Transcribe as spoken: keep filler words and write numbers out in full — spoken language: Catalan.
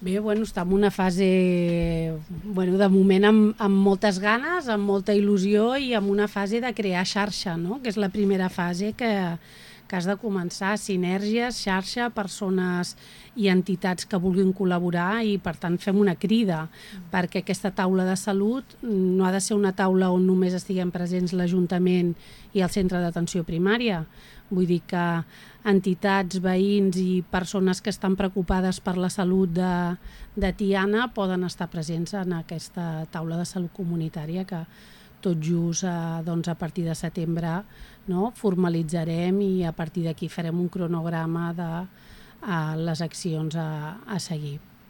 Bé, bueno, està en una fase, bueno, de moment amb, amb moltes ganes, amb molta il·lusió i amb una fase de crear xarxa, no? Que és la primera fase que, que has de començar, sinergies, xarxa, persones i entitats que vulguin col·laborar i per tant fem una crida perquè aquesta taula de salut no ha de ser una taula on només estiguem presents l'Ajuntament i el centre d'atenció primària. Vull dir que entitats, veïns i persones que estan preocupades per la salut de, de Tiana poden estar presents en aquesta taula de salut comunitària que tot just eh, doncs a partir de setembre, no, formalitzarem i a partir d'aquí farem un cronograma de eh, les accions a, a seguir.